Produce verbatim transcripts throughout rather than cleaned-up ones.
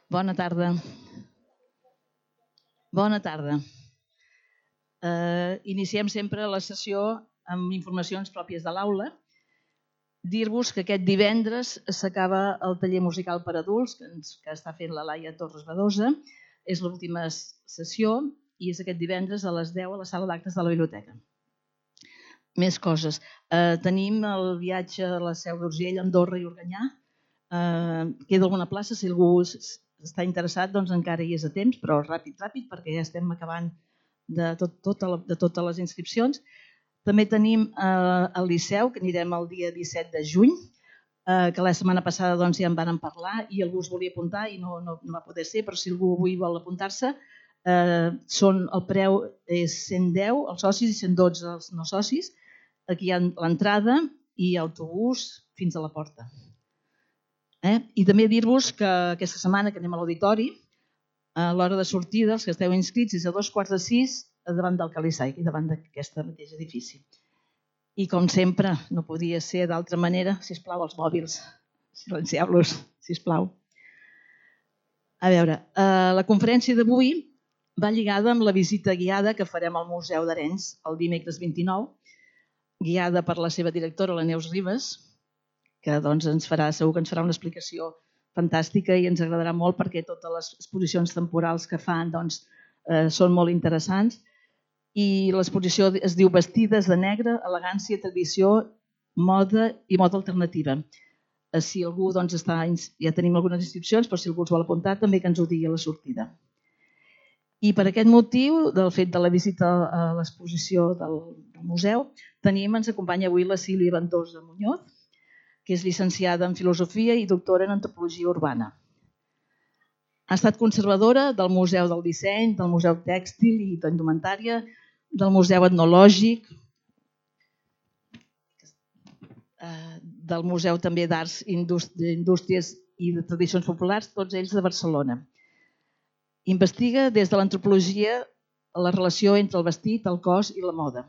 Bona tarda. Bona tarda. Eh, iniciem sempre la sessió amb informacions pròpies de l'aula. Dir-vos que aquest divendres s'acaba el taller musical per adults que, ens, que està fent la Laia Torres Badosa. És l'última sessió i és aquest divendres a les deu a la sala d'actes de la biblioteca. Més coses. Eh, tenim el viatge a la Seu d'Urgell, Andorra i Organyà. Eh, queda alguna plaça, si algú està interessat, doncs encara hi és a temps, però ràpid, ràpid, perquè ja estem acabant de, tot, tot, de totes les inscripcions. També tenim eh, el Liceu, que anirem el dia disset de juny, eh, que la setmana passada doncs, ja en vàrem parlar i algú es volia apuntar i no, no, no va poder ser, però si algú avui vol apuntar-se, eh, són, el preu és cent deu els socis i cent dotze els no socis. Aquí hi ha l'entrada i autobús fins a la porta. Eh? I també dir-vos que aquesta setmana que anem a l'auditori, a l'hora de sortida, els que esteu inscrits, és a dos quarts de sis davant del Calisai, davant d'aquest mateix edifici. I com sempre, no podia ser d'altra manera, sisplau, els mòbils, silencieu-los, sisplau. A veure, eh, la conferència d'avui va lligada amb la visita guiada que farem al Museu d'Arenys el dimecres vint-i-nou, guiada per la seva directora, la Neus Ribas, que doncs, ens farà, segur que ens farà una explicació fantàstica i ens agradarà molt perquè totes les exposicions temporals que fan doncs, eh, són molt interessants. I l'exposició es diu Vestides de negre, elegància, tradició, moda i moda alternativa. Si algú doncs, està, ja tenim algunes inscripcions, però si algú es vol apuntar també que ens ho digui a la sortida. I per aquest motiu, del fet de la visita a l'exposició del, del museu, tenim, ens acompanya avui la Sílvia Ventosa Muñoz, que és llicenciada en Filosofia i doctora en Antropologia Urbana. Ha estat conservadora del Museu del Disseny, del Museu Tèxtil i d'Indumentària, del Museu Etnològic, del Museu també d'Arts, Indústries i de Tradicions Populars, tots ells de Barcelona. Investiga des de l'antropologia la relació entre el vestit, el cos i la moda.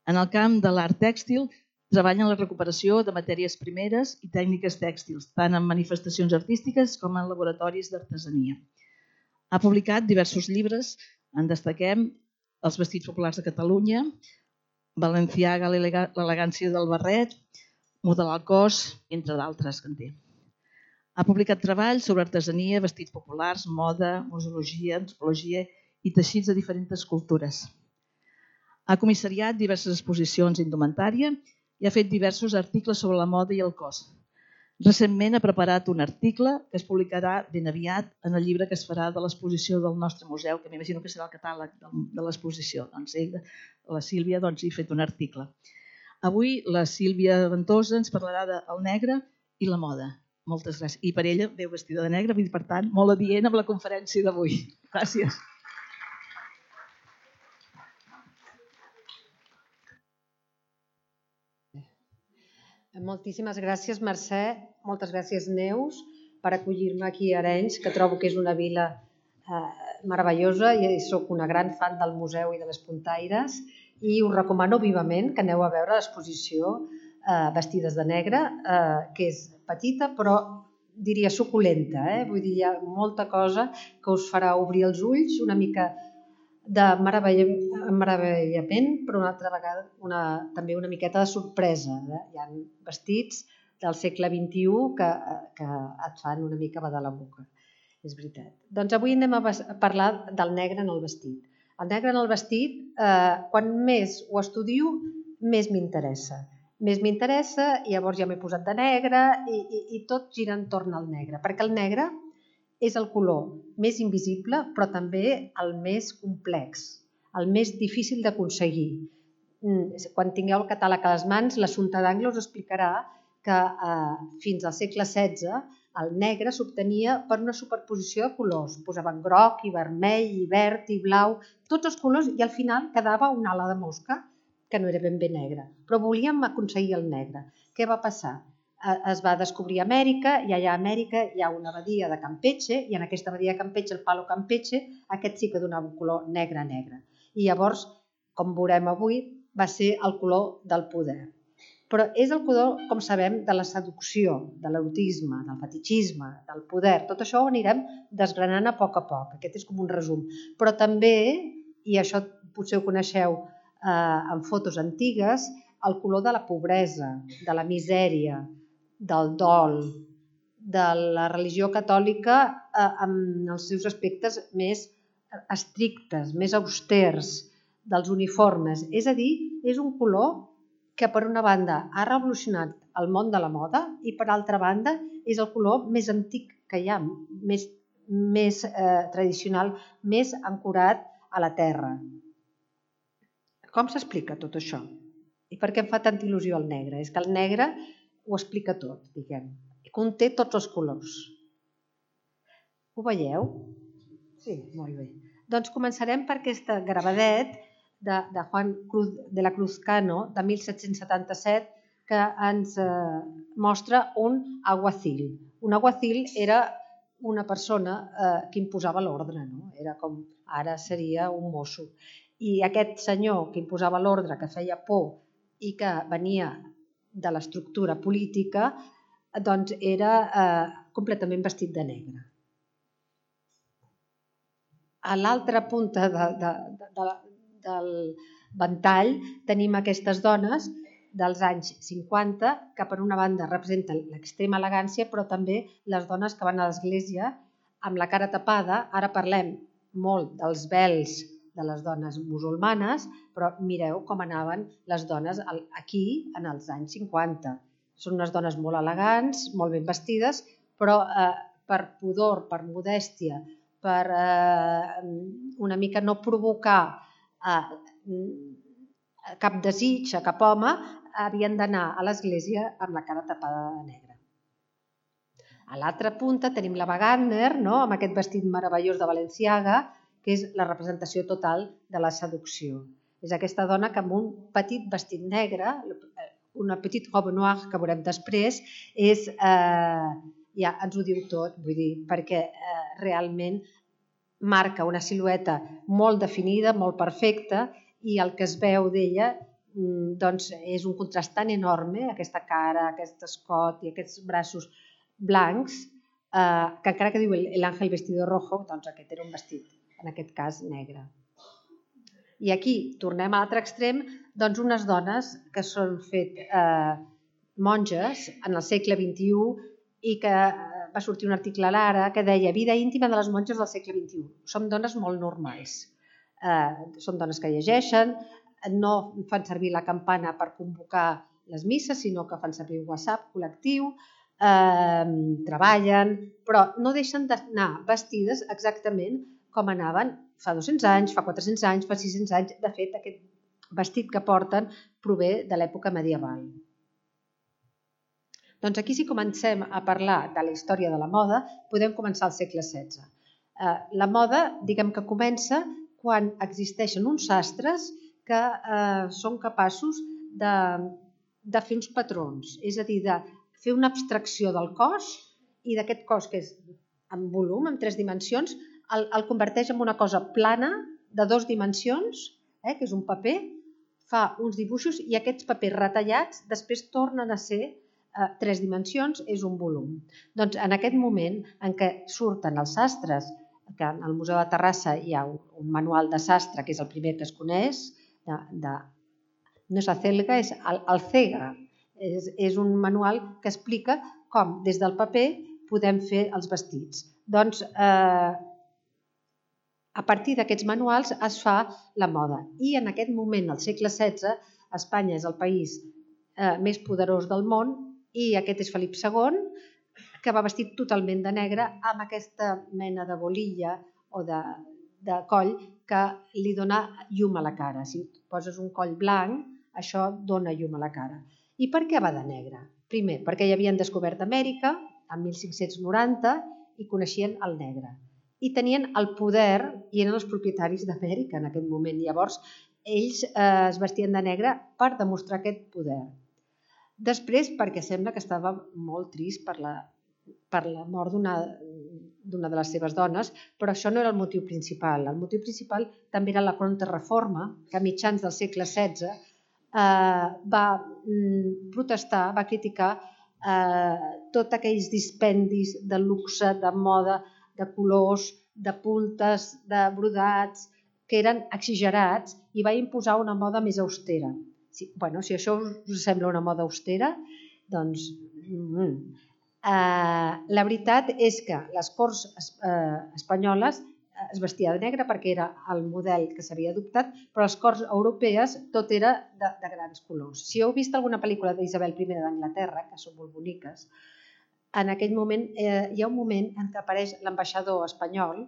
En el camp de l'art tèxtil, treballa en la recuperació de matèries primeres i tècniques tèxtils, tant en manifestacions artístiques com en laboratoris d'artesania. Ha publicat diversos llibres, en destaquem Els vestits populars de Catalunya, Balenciaga, l'elegància del barret, Modelar el cos, entre d'altres que en té. Ha publicat treballs sobre artesania, vestits populars, moda, museologia, antropologia i teixits de diferents cultures. Ha comissariat diverses exposicions d'indumentària i ha fet diversos articles sobre la moda i el cos. Recentment ha preparat un article que es publicarà ben aviat en el llibre que es farà de l'exposició del nostre museu, que m'imagino que serà el catàleg de l'exposició. Doncs ell, la Sílvia, doncs, hi ha fet un article. Avui la Sílvia Ventosa ens parlarà del negre i la moda. Moltes gràcies. I per ella veu vestida de negre, per tant, molt adient amb la conferència d'avui. Gràcies. Moltíssimes gràcies, Mercè. Moltes gràcies, Neus, per acollir-me aquí a Arenys, que trobo que és una vila eh, meravellosa i soc una gran fan del museu i de les puntaires i us recomano vivament que aneu a veure l'exposició eh, Vestides de negre, eh, que és petita però diria suculenta. Eh? Vull dir, hi ha molta cosa que us farà obrir els ulls, una mica de meravellament, però una altra vegada una, també una miqueta de sorpresa. Eh? Hi ha vestits del segle vint-i-u que, que et fan una mica badar la boca. És veritat. Doncs avui anem a parlar del negre en el vestit. El negre en el vestit, eh, quan més ho estudio, més m'interessa. Més m'interessa i llavors ja m'he posat de negre i, i, i tot gira entorn al negre, perquè el negre és el color més invisible, però també el més complex, el més difícil d'aconseguir. Quan tingueu el catàleg a les mans, l'Assumpta d'Angle us explicarà que eh, fins al segle setze el negre s'obtenia per una superposició de colors. Posaven groc i vermell i verd i blau, tots els colors, i al final quedava una ala de mosca que no era ben bé negra. Però volíem aconseguir el negre. Què va passar? Es va descobrir Amèrica i allà a Amèrica hi ha una badia de Campeche i en aquesta badia de Campeche, el palo Campeche, aquest sí que donava un color negre-negre. I llavors, com veurem avui, va ser el color del poder. Però és el color, com sabem, de la seducció, de l'erotisme, del fetichisme, del poder. Tot això ho anirem desgranant a poc a poc. Aquest és com un resum. Però també, i això potser ho coneixeu eh, en fotos antigues, el color de la pobresa, de la misèria, del dol, de la religió catòlica eh, amb els seus aspectes més estrictes, més austers, dels uniformes. És a dir, és un color que per una banda ha revolucionat el món de la moda i per altra banda és el color més antic que hi ha, més, més eh, tradicional, més ancorat a la terra. Com s'explica tot això? I per què em fa tanta il·lusió el negre? És que el negre ho explica tot, diguem. Conté tots els colors. Ho veieu? Sí, molt bé. Doncs començarem per aquesta gravadet de, de Juan Cruz de la Cruz Cano, de mil set-cents setanta-set, que ens eh, mostra un aguacil. Un aguacil era una persona eh, que imposava l'ordre, no? Era com ara seria un mosso. I aquest senyor que imposava l'ordre, que feia por i que venia de l'estructura política, doncs era eh, completament vestit de negre. A l'altra punta de, de, de, de, del ventall tenim aquestes dones dels anys cinquanta que per una banda representen l'extrema elegància, però també les dones que van a l'església amb la cara tapada. Ara parlem molt dels vels de les dones musulmanes, però mireu com anaven les dones aquí en els anys cinquanta. Són unes dones molt elegants, molt ben vestides, però eh, per pudor, per modèstia, per eh, una mica no provocar eh, cap desig a cap home, havien d'anar a l'església amb la cara tapada de negre. A l'altra punta tenim la Wagner, no? Amb aquest vestit meravellós de Balenciaga, que és la representació total de la seducció. És aquesta dona que amb un petit vestit negre, una petite robe noire que veurem després, és, eh, ja ens ho diu tot, vull dir, perquè eh, realment marca una silueta molt definida, molt perfecta, i el que es veu d'ella doncs, és un contrast tan enorme, aquesta cara, aquest escot i aquests braços blancs, eh, que encara que diu l'àngel vestido rojo, doncs aquest era un vestit, en aquest cas negre. I aquí tornem a l'altre extrem, doncs unes dones que són fet eh, monges en el segle vint-i-u i que va sortir un article a l'Ara que deia vida íntima de les monges del segle vint-i-u. Som dones molt normals. Eh, són dones que llegeixen, no fan servir la campana per convocar les misses, sinó que fan servir un WhatsApp col·lectiu, eh, treballen, però no deixen d'anar vestides exactament com anaven fa dos-cents anys, fa quatre-cents anys, fa sis-cents anys. De fet, aquest vestit que porten prové de l'època medieval. Doncs aquí, si comencem a parlar de la història de la moda, podem començar al segle setze. Eh, la moda, diguem que comença quan existeixen uns sastres que eh, són capaços de, de fer uns patrons, és a dir, de fer una abstracció del cos i d'aquest cos que és en volum, en tres dimensions, el, el converteix en una cosa plana de dues dimensions, eh, que és un paper, fa uns dibuixos i aquests papers retallats després tornen a ser eh, tres dimensions, és un volum. Doncs en aquest moment en què surten els sastres, que al Museu de Terrassa hi ha un, un manual de sastre, que és el primer que es coneix, de, de, no és acelga, és el, el cega. És, és un manual que explica com des del paper podem fer els vestits. Doncs eh, a partir d'aquests manuals es fa la moda. I en aquest moment, al segle setze, Espanya és el país eh, més poderós del món i aquest és Felip segon, que va vestit totalment de negre amb aquesta mena de bolilla o de, de coll que li dona llum a la cara. Si poses un coll blanc, això dona llum a la cara. I per què va de negre? Primer, perquè ja havien descobert Amèrica en mil cinc-cents noranta i coneixien el negre. I tenien el poder i eren els propietaris d'Amèrica en aquest moment. Llavors, ells eh, es vestien de negre per demostrar aquest poder. Després, perquè sembla que estava molt trist per la, per la mort d'una d'una de les seves dones, però això no era el motiu principal. El motiu principal també era la contrarreforma, que a mitjans del segle setze va protestar, va criticar tots aquells dispendis de luxe, de moda, de colors, de puntes, de brodats, que eren exagerats, i va imposar una moda més austera. Bueno, si això us sembla una moda austera, doncs... La veritat és que les corts espanyoles es vestia de negre perquè era el model que s'havia adoptat, però les corts europees tot era de grans colors. Si heu vist alguna pel·lícula d'Isabel primera d'Anglaterra, que són molt boniques, en aquell moment hi ha un moment en què apareix l'ambaixador espanyol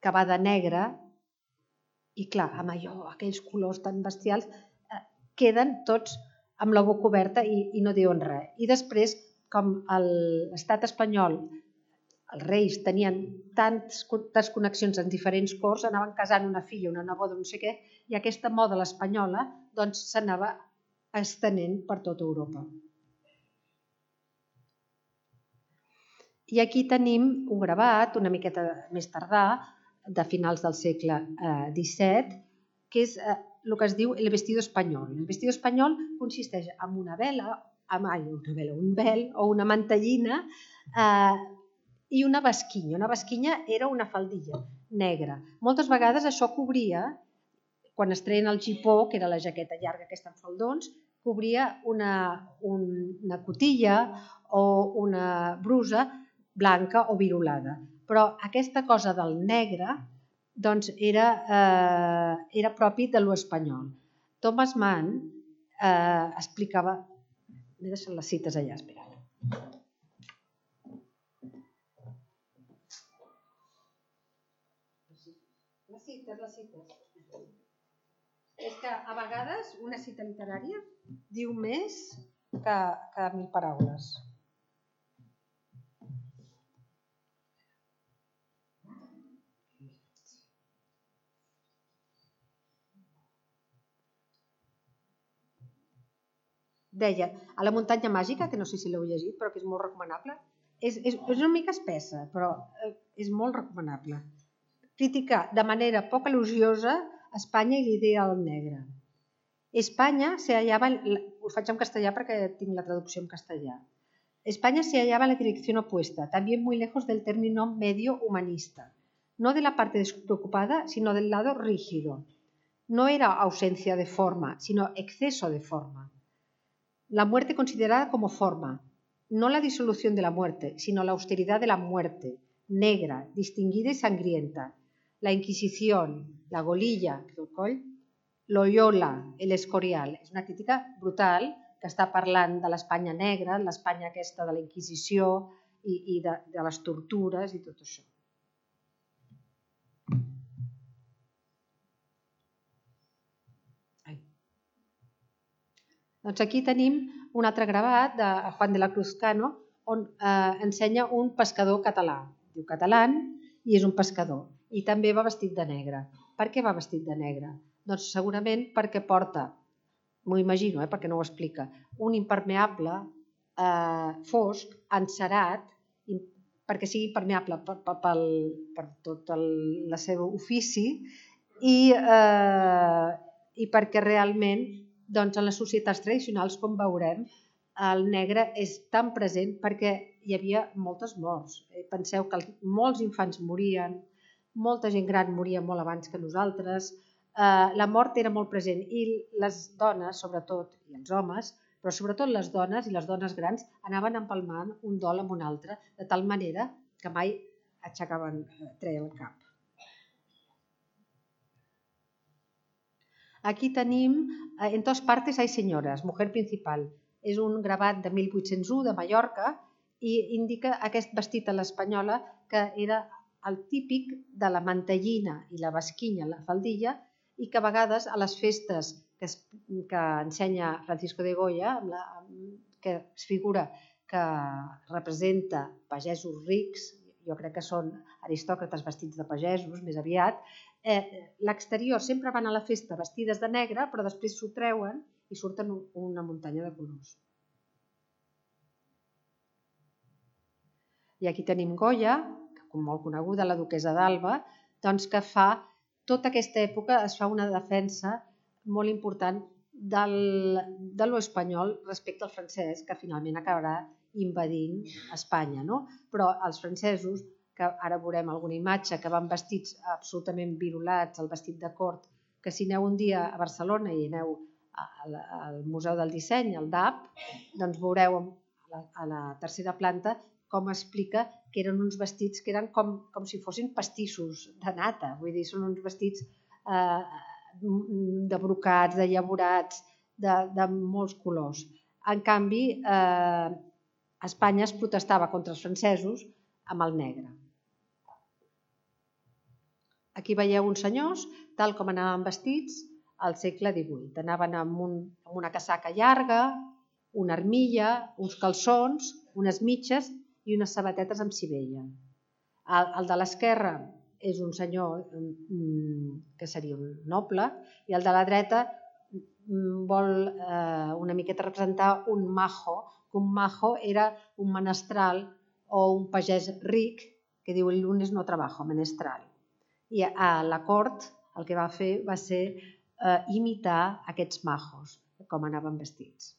que va de negre i clar, amb allò, aquells colors tan bestials, queden tots amb la boca oberta i no diuen res. I després, com l'estat espanyol, els reis tenien tantes connexions en diferents corts, anaven casant una filla, una neboda, no sé què, i aquesta moda l'espanyola s'anava estenent per tota Europa. I aquí tenim un gravat, una miqueta més tardà, de finals del segle disset, que és el que es diu el vestido espanyol. El vestido espanyol consisteix en una vela, un vel o una mantellina i una basquinya. Una basquinya era una faldilla negra. Moltes vegades això cobria, quan es treien el gipó, que era la jaqueta llarga aquesta amb faldons, cobria una cotilla o una brusa blanca o virolada. Però aquesta cosa del negre era propi de l'espanyol. Thomas Mann explicava... M'he deixat les cites allà, espera. Les cites, les cites. És que a vegades una cita literària diu més que mil paraules. Deia, a la muntanya màgica, que no sé si l'heu llegit, però que és molt recomanable, és una mica espessa, però és molt recomanable. Criticar de manera poc elogiosa Espanya i l'idea del negre. España se hallaba, ho faig en castellà perquè tinc la traducció en castellà. España se hallaba en la dirección opuesta, también muy lejos del término medio humanista, no de la parte despreocupada, sino del lado rígido. No era ausencia de forma, sino exceso de forma. La muerte considerada como forma, no la disolución de la muerte, sino la austeridad de la muerte, negra, distinguida y sangrienta. La Inquisición, la Golilla, Loyola, el Escorial. És una crítica brutal que està parlant de l'Espanya negra, l'Espanya aquesta de la Inquisició i de les tortures i tot això. Doncs aquí tenim un altre gravat de Juan de la Cruz Cano on ensenya un pescador català. Diu catalán i és un pescador. I també va vestit de negre. Per què va vestit de negre? Doncs segurament perquè porta, m'ho imagino perquè no ho explica, un impermeable fosc, encerat, perquè sigui impermeable per tot el seu ofici i perquè realment doncs en les societats tradicionals, com veurem, el negre és tan present perquè hi havia moltes morts. Penseu que molts infants morien, molta gent gran moria molt abans que nosaltres, la mort era molt present i les dones, sobretot, i els homes, però sobretot les dones i les dones grans anaven empalmant un dol amb un altre, de tal manera que mai aixecaven, treien el cap. Aquí tenim En todas partes hay señoras, mujer principal. És un gravat de mil vuit-cents u de Mallorca i indica aquest vestit a l'espanyola que era el típic de la mantellina i la basquinya, la faldilla, i que a vegades a les festes que ensenya Francisco de Goya, que es figura que representa pagesos rics, jo crec que són aristòcrates vestits de pagesos més aviat, l'exterior sempre van a la festa vestides de negre, però després s'ho treuen i surten una muntanya de colors. I aquí tenim Goya, molt coneguda, la duquessa d'Alba, doncs que fa, tota aquesta època es fa una defensa molt important de lo espanyol respecte al francès, que finalment acabarà invadint Espanya. Però els francesos, que ara veurem alguna imatge, que van vestits absolutament virulats, el vestit de cort, que si aneu un dia a Barcelona i aneu al Museu del Disseny, al D A P, doncs veureu a la tercera planta com explica que eren uns vestits que eren com si fossin pastissos de nata. Vull dir, són uns vestits de brocats, de llavorats, de molts colors. En canvi, a Espanya es protestava contra els francesos amb el negre. Aquí veieu uns senyors, tal com anaven vestits al segle divuit. Anaven amb una casaca llarga, una armilla, uns calçons, unes mitges i unes sabatetes amb sivella. El de l'esquerra és un senyor que seria un noble i el de la dreta vol una miqueta representar un majo, que un majo era un menestral o un pagès ric que diu el lunes no trabajo, menestral. I a la cort el que va fer va ser imitar aquests majos, com anaven vestits.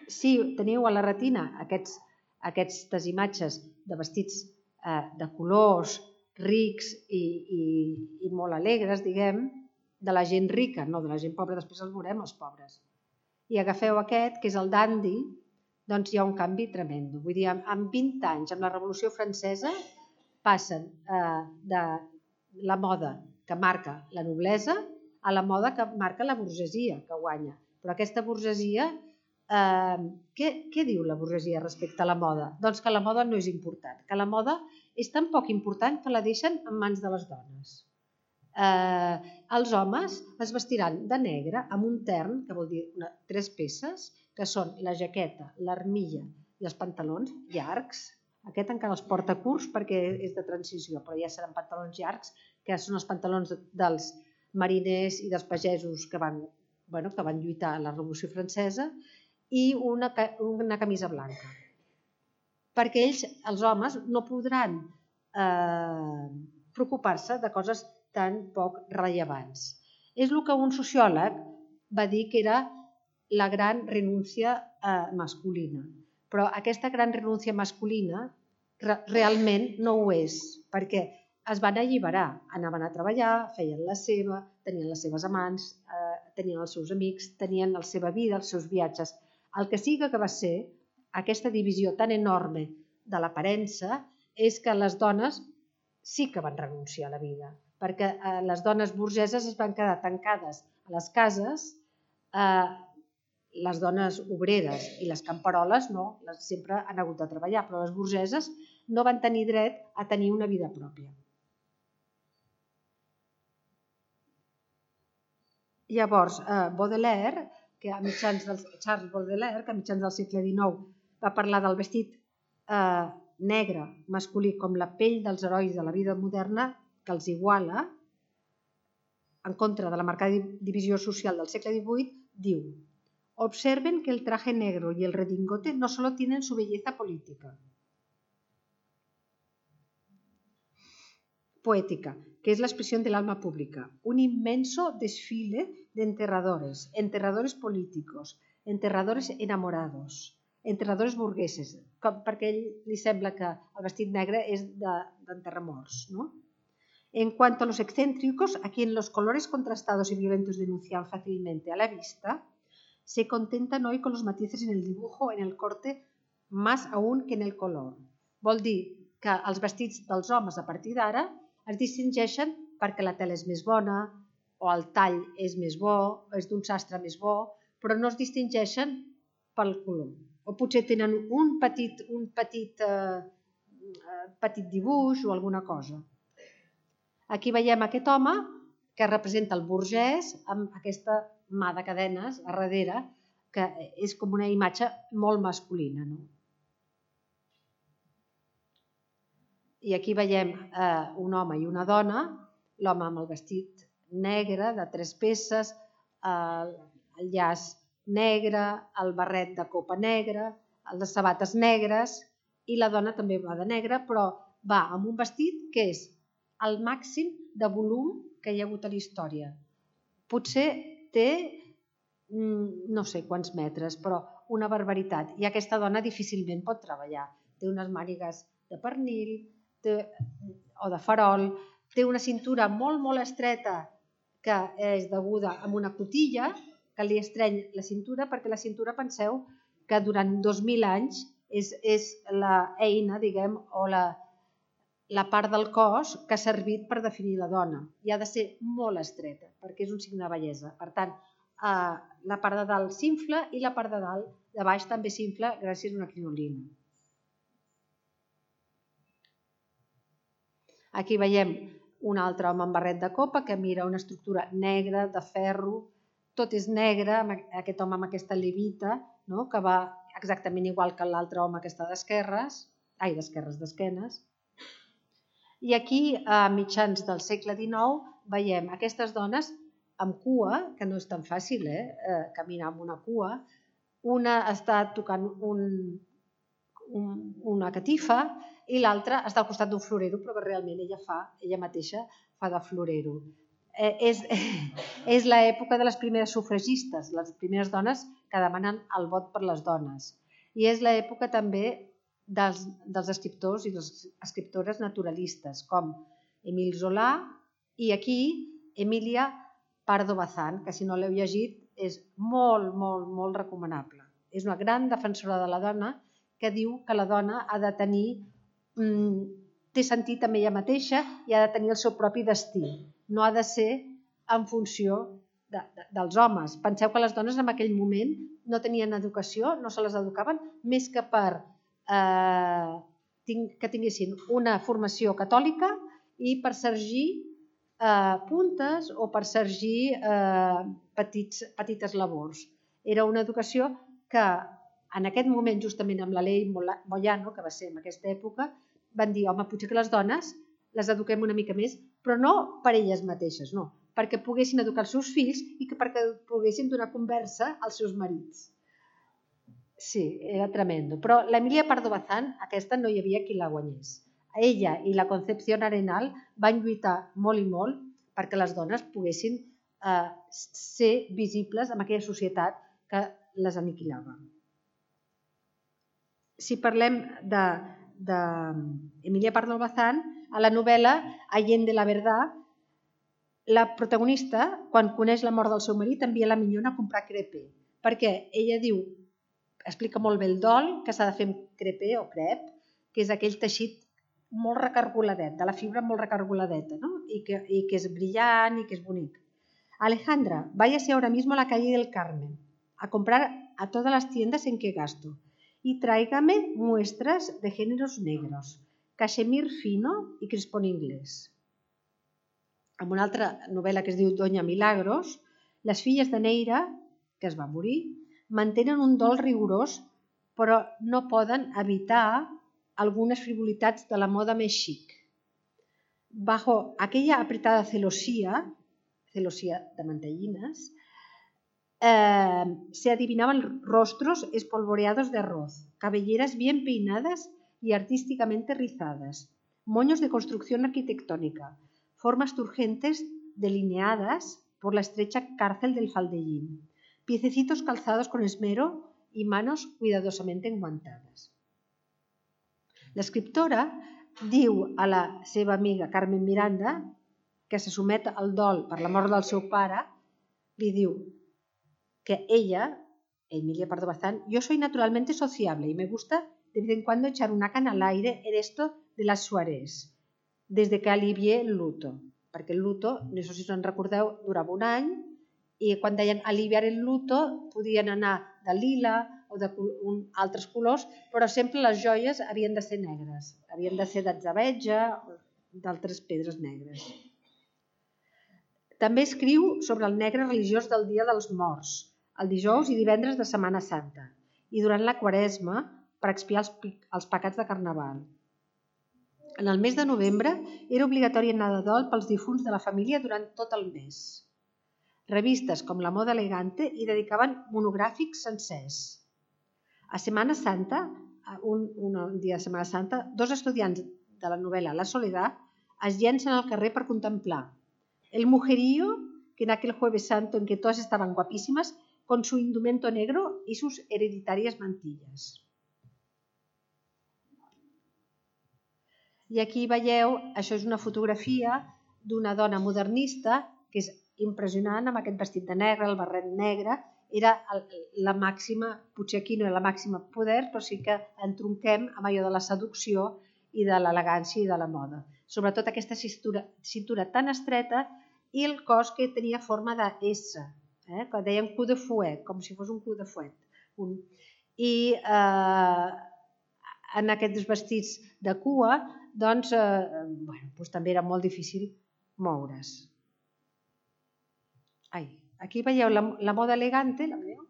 Si teniu a la retina aquestes imatges de vestits de colors rics i molt alegres, diguem, de la gent rica, no de la gent pobra, després els veurem, els pobres. I agafeu aquest, que és el dandy, doncs hi ha un canvi tremendo. Vull dir, en vint anys, amb la Revolució Francesa, passen de la moda que marca la noblesa a la moda que marca la burgesia, que guanya. Però aquesta burgesia, què diu la burgesia respecte a la moda? Doncs que la moda no és important, que la moda és tan poc important que la deixen en mans de les dones. Els homes es vestiran de negre amb un tern, que vol dir tres peces, que són la jaqueta, l'armilla i els pantalons llargs. Aquest encara els porta curts perquè és de transició, però ja seran pantalons llargs, que són els pantalons dels mariners i dels pagesos que van lluitar a la Revolució Francesa, i una camisa blanca. Perquè ells, els homes, no podran preocupar-se de coses tan poc rellevants. És el que un sociòleg va dir que era la gran renúncia masculina. Però aquesta gran renúncia masculina realment no ho és, perquè es van alliberar, anaven a treballar, feien la seva, tenien les seves amants, tenien els seus amics, tenien la seva vida, els seus viatges. El que sí que va ser aquesta divisió tan enorme de l'aparença és que les dones sí que van renunciar a la vida, perquè les dones burgeses es van quedar tancades a les cases, les dones obreres i les camperoles no, sempre han hagut de treballar, però les burgeses no van tenir dret a tenir una vida pròpia. Llavors, Baudelaire, que a mitjans del, Charles Baudelaire, que a mitjans del segle dinou va parlar del vestit negre masculí com la pell dels herois de la vida moderna, que els iguala, en contra de la marcada divisió social del segle divuit, diu: observen que el traje negro y el redingote no solo tienen su belleza política, poética, que es la expresión del alma pública, un inmenso desfile de enterradores, enterradores políticos, enterradores enamorados, enterradores burgueses, perquè a ell li sembla que el vestit negre és d'enterramorts, ¿no? En cuanto a los excéntricos, a quien los colores contrastados y violentos denuncian fácilmente a la vista, se contentan hoy con los matices en el dibujo, en el corte, más aún que en el color. Vol dir que els vestits dels homes a partir d'ara es distingeixen perquè la tela és més bona, o el tall és més bo, o és d'un sastre més bo, però no es distingeixen pel color. O potser tenen un petit, un petit, eh, petit dibuix o alguna cosa. Aquí veiem aquest home que representa el burgès amb aquesta mà de cadenes a darrere, que és com una imatge molt masculina, no? I aquí veiem eh, un home i una dona, l'home amb el vestit negre de tres peces, eh, el llaç negre, el barret de copa negra, les sabates negres, i la dona també va de negre, però va amb un vestit que és el màxim de volum que hi ha hagut a la història. Potser té no sé quants metres, però una barbaritat. I aquesta dona difícilment pot treballar. Té unes mànigues de pernil o de farol, té una cintura molt, molt estreta que és deguda a una cotilla que li estreny la cintura, perquè la cintura, penseu que durant dos mil anys és, és l'eina, diguem, o la, la part del cos que ha servit per definir la dona. I ha de ser molt estreta, perquè és un signe de bellesa. Per tant, eh, la part de dalt s'infla i la part de dalt, de baix, també s'infla gràcies a una crinolina. Aquí veiem un altre home amb barret de copa que mira una estructura negra, de ferro, tot és negre, aquest home amb aquesta levita, no? Que va exactament igual que l'altre home que està d'esquerres, ai, d'esquerres, d'esquenes. I aquí, a mitjans del segle dinou, veiem aquestes dones amb cua, que no és tan fàcil, eh? Caminar amb una cua. Una està tocant un, un, una catifa i l'altra està al costat d'un florero, però realment ella fa, ella mateixa fa de florero. Eh, és és l'època de les primeres sufragistes, les primeres dones que demanen el vot per les dones. I és l'època també dels, dels escriptors i les escriptores naturalistes, com Émile Zola i aquí Emilia Pardo Bazán, que si no l'heu llegit és molt, molt, molt recomanable. És una gran defensora de la dona que diu que la dona ha de tenir, mm, té sentit amb ella mateixa i ha de tenir el seu propi destí. No ha de ser en funció de, de, dels homes. Penseu que les dones en aquell moment no tenien educació, no se les educaven, més que per eh, que tinguessin una formació catòlica i per sergir eh, puntes o per sergir eh, petits, petites labors. Era una educació que en aquest moment, justament amb la llei Moyano, que va ser en aquesta època, van dir, home, potser que les dones les eduquem una mica més, però no per elles mateixes, no, perquè poguessin educar els seus fills i que perquè poguessin donar conversa als seus marits. Sí, era tremendo. Però l'Emilia Pardo Bazán, aquesta no hi havia qui la guanyés. Ella i la Concepción Arenal van lluitar molt i molt perquè les dones poguessin eh, ser visibles en aquella societat que les aniquilava. Si parlem de d'Emilia Pardo Bazán, a la novel·la Allende la Verdad, la protagonista, quan coneix la mort del seu marit, envia la minyona a comprar crepé, perquè ella diu, explica molt bé el dol, que s'ha de fer amb crepé o crep, que és aquell teixit molt recargoladet, de la fibra molt recargoladeta, ¿no? y, que, y que es brillant y que es bonic. Alejandra, váyase ahora mismo a la calle del Carmen a comprar a todas las tiendas en que gasto y tráigame muestras de géneros negros, cachemir fino y crespón inglés. En una altra novel·la que es diu Doña Milagros, les filles de Neira, que es va morir, mantenen un dol rigorós, però no poden evitar algunes frivolitats de la moda més xic. Bajo aquella apretada celosía, celosía de mantellines, Eh, se adivinaban rostros espolvoreados de arroz, cabelleras bien peinadas y artísticamente rizadas, moños de construcción arquitectónica, formas turgentes delineadas por la estrecha cárcel del faldellín, piececitos calzados con esmero y manos cuidadosamente enguantadas. L'escriptora diu a la seva amiga Carmen Miranda, que se somet al dol per la mort del seu pare, li diu que ella, Emilia Pardo Bazán, yo soy naturalmente sociable y me gusta de vez en cuando echar una cana al aire en esto de las soirées, desde que alivié el luto, perquè el luto, no sé si us en recordeu, durava un any i quan deien aliviar el luto podien anar de lila o d'altres colors, però sempre les joies havien de ser negres, havien de ser d'atzabeja o d'altres pedres negres. També escriu sobre el negre religiós del Dia dels Morts, el dijous i divendres de Setmana Santa, i durant la Quaresma per expiar els, els pecats de Carnaval. En el mes de novembre era obligatori anar de dol pels difunts de la família durant tot el mes. Revistes com La Moda Elegante hi dedicaven monogràfics sencers. A Setmana Santa, un, un dia de Setmana Santa, dos estudiants de la novel·la La Soledad es llencen al carrer per contemplar el mujerío que en aquel Jueves Santo en que todas estaban guapísimas con su indumento negro y sus hereditarias mantilles. I aquí veieu, això és una fotografia d'una dona modernista que és impressionant, amb aquest vestit de negre, el barret negre. Era la màxima, potser aquí no era la màxima poder, però sí que entronquem amb allò de la seducció i de l'elegància i de la moda. Sobretot aquesta cintura, cintura tan estreta i el cos que tenia forma de S, eh? Que deien cul de fouet, com si fos un cul de fouet. Un... I eh, en aquests vestits de cua, doncs, eh, bueno, doncs també era molt difícil moure's. Ai, aquí veieu la, la moda elegante, la veieu?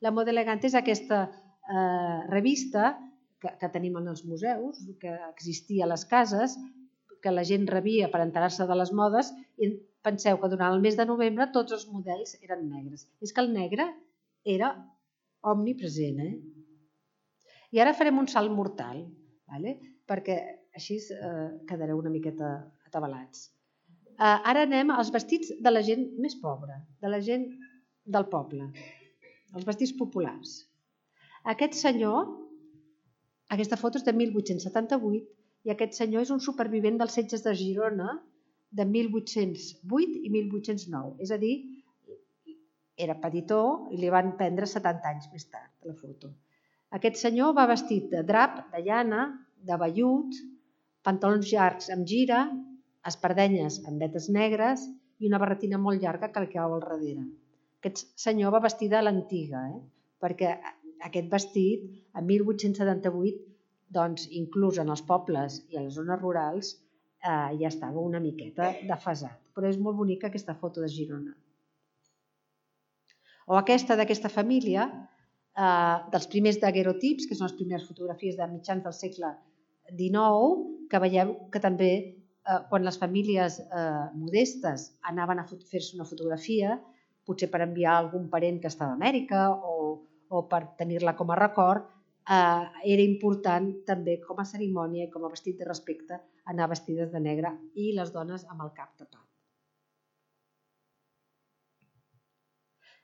La moda elegante és aquesta eh, revista que, que tenim en els museus, que existia a les cases, que la gent rebia per enterar-se de les modes, i penseu que durant el mes de novembre tots els models eren negres. És que el negre era omnipresent, eh? I ara farem un salt mortal, ¿vale? Perquè així eh, quedareu una miqueta atabalats. Eh, ara anem als vestits de la gent més pobra, de la gent del poble, els vestits populars. Aquest senyor, aquesta foto és de mil vuit-cents setanta-vuit, i aquest senyor és un supervivent dels setges de Girona de mil vuit-cents vuit i mil vuit-cents nou. És a dir, era petitó i li van prendre setanta anys més tard, la foto. Aquest senyor va vestit de drap, de llana, de vellut, pantalons llargs amb gira, espardenyes amb vetes negres i una barretina molt llarga que li cau al darrere. Aquest senyor va vestit a l'antiga, eh? Perquè aquest vestit, en mil vuit-cents setanta-vuit, doncs, inclús en els pobles i a les zones rurals, eh, ja estava una miqueta desfasat. Però és molt bonica aquesta foto de Girona. O aquesta d'aquesta família, eh, dels primers daguerrotips, que són les primeres fotografies de mitjans del segle dinou, que veieu que també eh, quan les famílies eh, modestes anaven a fer-se una fotografia, potser per enviar a algun parent que estava a Amèrica o, o per tenir-la com a record, eh, era important també com a cerimònia i com a vestit de respecte anar vestides de negre i les dones amb el cap tapat.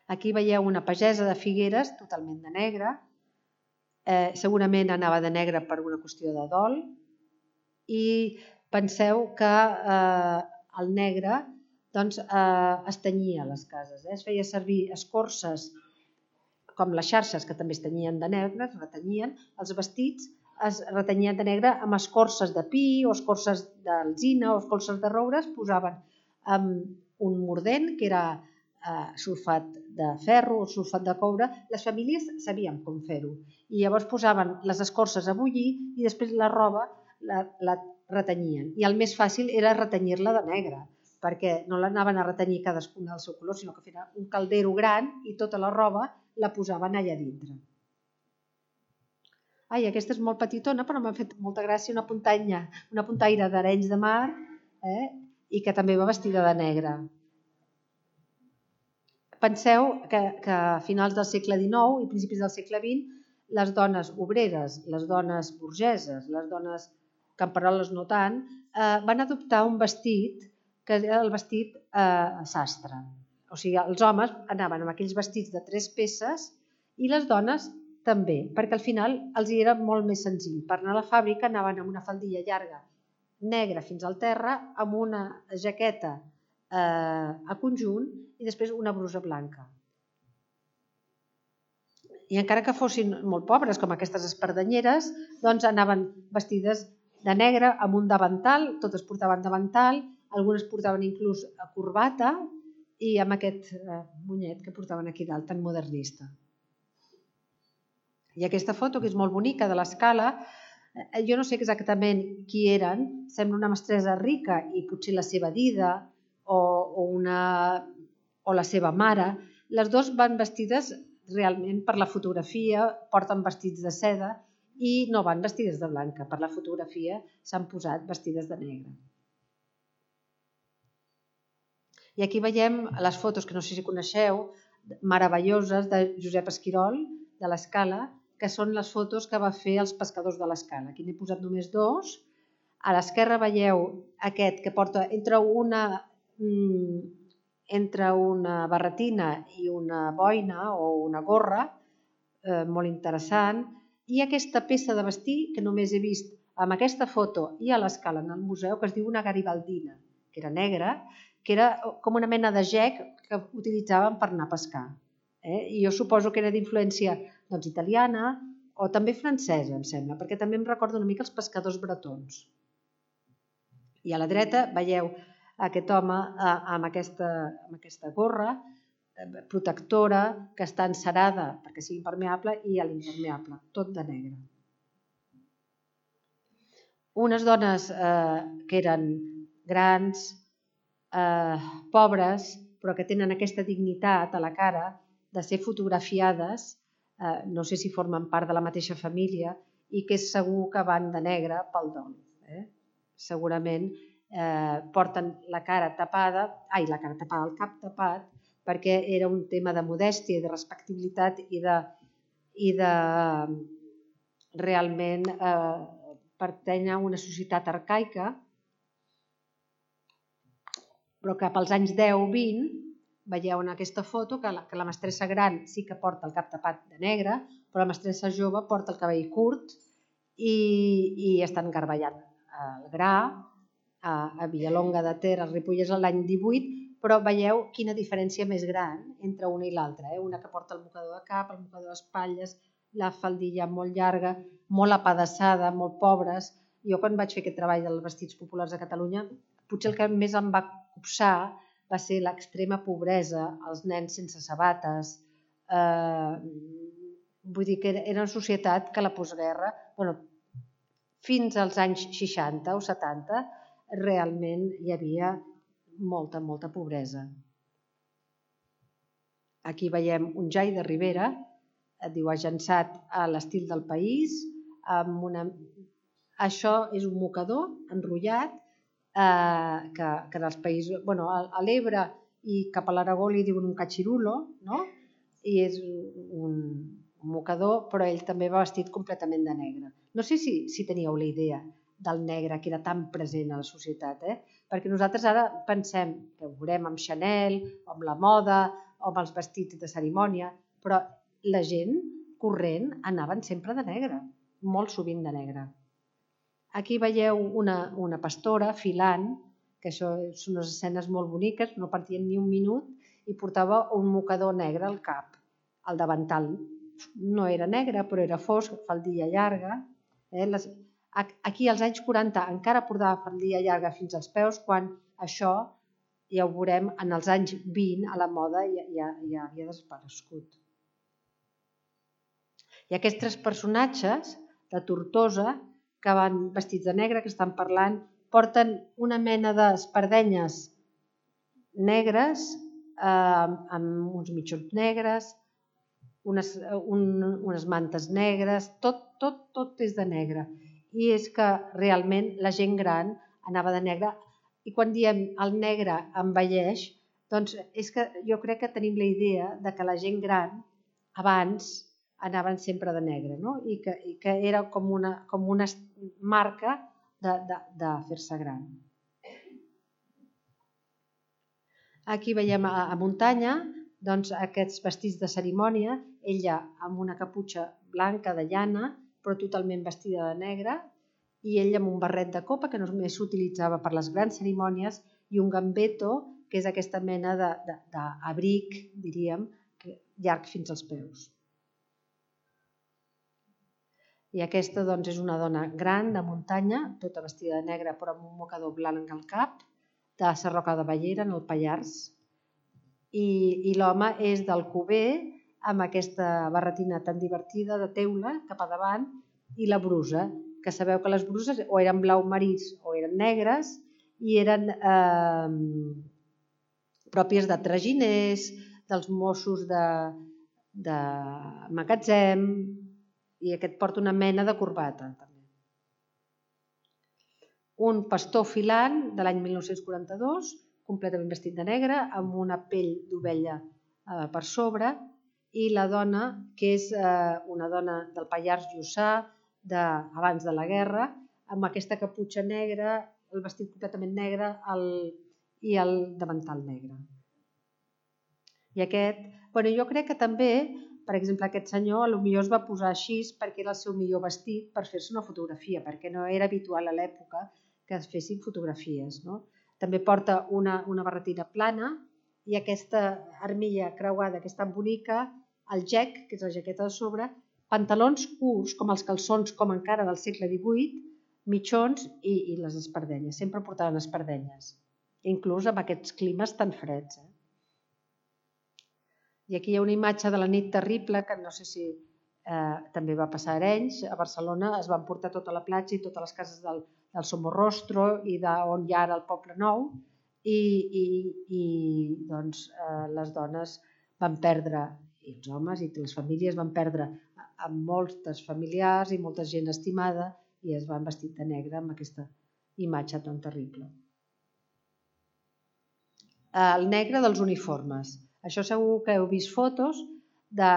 Aquí veieu una pagesa de Figueres totalment de negre, eh, segurament anava de negre per una qüestió de dol, i penseu que eh, el negre doncs, eh, es tenyia a les cases, eh? Es feia servir escorces com les xarxes, que també es tenyien de negre, es retenyien, els vestits es retenyien de negre amb escorces de pi o escorces d'alzina o escorces de roure, es posaven amb un mordent que era eh, sulfat de ferro o sulfat de coure. Les famílies sabien com fer-ho i llavors posaven les escorces a bullir i després la roba la, la retenyien. I el més fàcil era retenyir-la de negre, perquè no l'anaven a retenyir cadascuna del seu color, sinó que feien un caldero gran i tota la roba la posaven allà dintre. Ai, aquesta és molt petitona, però m'ha fet molta gràcia, una puntanya, una puntaire d'Arenys de Mar, eh, i que també va vestida de negre. Penseu que, que a finals del segle dinou i principis del segle vint, les dones obreres, les dones burgeses, les dones camperoles no tant, eh, van adoptar un vestit que era el vestit eh, sastre. O sigui, els homes anaven amb aquells vestits de tres peces i les dones també, perquè al final els era molt més senzill. Per anar a la fàbrica anaven amb una faldilla llarga, negra fins al terra, amb una jaqueta eh, a conjunt i després una brusa blanca. I encara que fossin molt pobres, com aquestes espardenyeres, doncs anaven vestides de negre amb un davantal, totes portaven davantal, algunes portaven inclús corbata i amb aquest eh, monyet que portaven aquí dalt, tan modernista. I aquesta foto, que és molt bonica, de l'escala, eh, jo no sé exactament qui eren, sembla una mestressa rica i potser la seva dida o, o, una, o la seva mare. Les dues van vestides realment per la fotografia, porten vestits de seda i no van vestides de blanca. Per la fotografia s'han posat vestides de negre. I aquí veiem les fotos, que no sé si coneixeu, meravelloses de Josep Esquirol, de l'Escala, que són les fotos que va fer els pescadors de l'Escala. Aquí n'he posat només dos. A l'esquerra veieu aquest que porta entre una, entre una barretina i una boina o una gorra, eh, molt interessant, i aquesta peça de vestir que només he vist amb aquesta foto i a l'escala en el museu, que es diu una garibaldina, que era negra, que era com una mena de gec que utilitzaven per anar a pescar. Eh? I jo suposo que era d'influència doncs, italiana o també francesa, em sembla, perquè també em recorda una mica els pescadors bretons. I a la dreta veieu aquest home eh, amb, aquesta, amb aquesta gorra eh, protectora que està encerada perquè sigui impermeable i a l'impermeable, tot de negre. Unes dones eh, que eren grans, eh, pobres, però que tenen aquesta dignitat a la cara de ser fotografiades, eh, no sé si formen part de la mateixa família, i que és segur que van de negre pel dol. Eh? Segurament eh, porten la cara tapada, ai, la cara tapada, el cap tapat, perquè era un tema de modèstia i de respectabilitat i de, i de realment eh, pertany a una societat arcaica, però cap als anys deu vint veieu en aquesta foto que la, que la mestressa gran sí que porta el cap tapat de negre, però la mestressa jove porta el cabell curt i, i estan garballant el gra a, a Villalonga de Ter, al Ripollès, l'any divuit, però veieu quina diferència més gran entre una i l'altra. Eh? Una que porta el mocador de cap, el mocador d'espatlles, la faldilla molt llarga, molt apedaçada, molt pobres. Jo quan vaig fer aquest treball dels vestits populars a Catalunya, potser el que més em va copsar va ser l'extrema pobresa, els nens sense sabates. Eh, vull dir que era una societat que a la postguerra, bueno, fins als anys seixanta o setanta, realment hi havia molta, molta pobresa. Aquí veiem un jai de Ribera, et diu agençat a l'estil del país, amb una... Això és un mocador enrotllat eh, que, que dels països... Bueno, a l'Ebre i cap a l'Aragó li diuen un cachirulo, no? I és un, un mocador, però ell també va vestit completament de negre. No sé si, si teníeu la idea del negre que era tan present a la societat, eh? Perquè nosaltres ara pensem que ho veurem amb Chanel, o amb la moda, o amb els vestits de cerimònia, però la gent corrent anaven sempre de negre, molt sovint de negre. Aquí veieu una, una pastora filant, que això són unes escenes molt boniques, no partien ni un minut, i portava un mocador negre al cap. El davantal no era negre, però era fosc, faldilla llarga. Eh? Les... Aquí als anys quaranta encara portava faldilla llarga fins als peus, quan això, ja ho veurem, en els anys vint a la moda ja, ja, ja havia desaparegut. I aquests tres personatges de Tortosa, que van vestits de negre, que estan parlant, porten una mena d'espardenyes negres, eh, amb uns mitjons negres, unes, un, unes mantes negres, tot, tot, tot és de negre. I és que realment la gent gran anava de negre, i quan diem el negre envelleix, doncs és que jo crec que tenim la idea de que la gent gran abans anaven sempre de negre, no? I, que, i que era com una, com una marca de, de, de fer-se gran. Aquí veiem a, a muntanya doncs, aquests vestits de cerimònia, ella amb una caputxa blanca de llana, però totalment vestida de negre, i ell amb un barret de copa que només s'utilitzava per les grans cerimònies, i un gambeto, que és aquesta mena d'abric, diríem, llarg fins als peus. I aquesta doncs, és una dona gran de muntanya, tota vestida de negre però amb un mocador blanc al cap, de Sarroca de Bellera, en el Pallars. I, i l'home és d'Alcover, amb aquesta barretina tan divertida de teula cap a davant, i la brusa, que sabeu que les bruses o eren blau marís o eren negres, i eren eh, pròpies de traginers, dels Mossos de, de magatzem, i aquest porta una mena de corbata. També. Un pastor filant de l'any mil nou-cents quaranta-dos, completament vestit de negre, amb una pell d'ovella eh, per sobre, i la dona, que és eh, una dona del Pallars Jussà, de, abans de la guerra, amb aquesta caputxa negra, el vestit completament negre el, i el davantal negre. I aquest, bueno, jo crec que també, per exemple, aquest senyor potser es va posar així perquè era el seu millor vestit per fer-se una fotografia, perquè no era habitual a l'època que es fessin fotografies. No? També porta una, una barretina plana i aquesta armilla creuada que és tan bonica, el gec, que és la jaqueta de sobre, pantalons curts, com els calçons com encara del segle divuit, mitjons i, i les espardenyes. Sempre portaven espardenyes, inclús amb aquests climes tan freds. Eh? I aquí hi ha una imatge de la nit terrible, que no sé si eh, també va passar a Arenys. A Barcelona es van portar tota la platja i totes les cases del, del Somorrostro i d'on hi ha ara el Poble Nou, i, i, i doncs, eh, les dones van perdre, i els homes i les famílies van perdre amb moltes familiars i molta gent estimada, i es van vestir de negre amb aquesta imatge tan terrible. El negre dels uniformes. Això segur que heu vist fotos, de,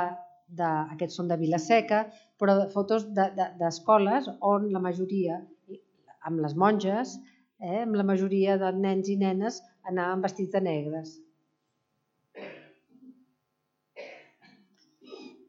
de, aquests són de Vila-seca, però fotos d'escoles de, de, on la majoria, amb les monges, eh, amb la majoria de nens i nenes anaven vestits de negres.